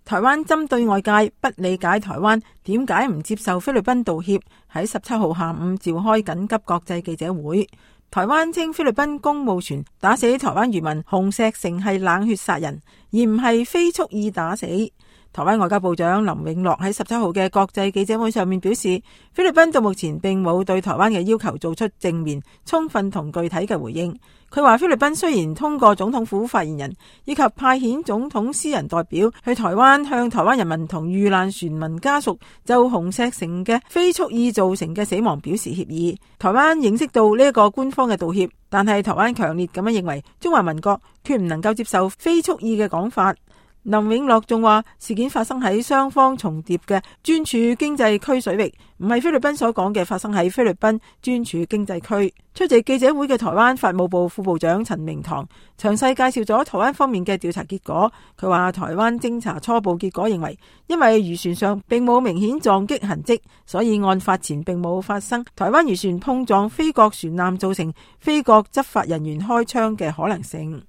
台灣針對外界不理解台灣點解唔接受菲律賓道歉，喺17號下午召開緊急國際記者會。台灣稱菲律賓公務船打死台灣漁民洪石成係冷血殺人，而唔係非蓄意打死。台灣外交部長林永樂喺17號嘅國際記者會上面表示，菲律賓到目前並冇對台灣嘅要求做出正面、充分同具體嘅回應。佢話菲律賓雖然通過總統府發言人以及派遣總統私人代表去台灣，向台灣人民同遇難船民家屬就洪石成嘅非蓄意造成嘅死亡表示歉意。台灣認識到呢一個官方嘅道歉，但係台灣強烈咁樣認為中華民國決唔能夠接受非蓄意嘅講法。林永樂仲話，事件發生喺雙方重疊嘅專處經濟區水域，唔係菲律賓所講嘅發生喺菲律賓專處經濟區。出席記者會嘅台灣法務部副部長陳明堂詳細介紹咗台灣方面嘅調查結果。佢話台灣偵查初步結果認為，因為漁船上並冇明顯撞擊痕跡，所以案發前並冇發生台灣漁船碰撞菲國船艦造成菲國執法人員開槍嘅可能性。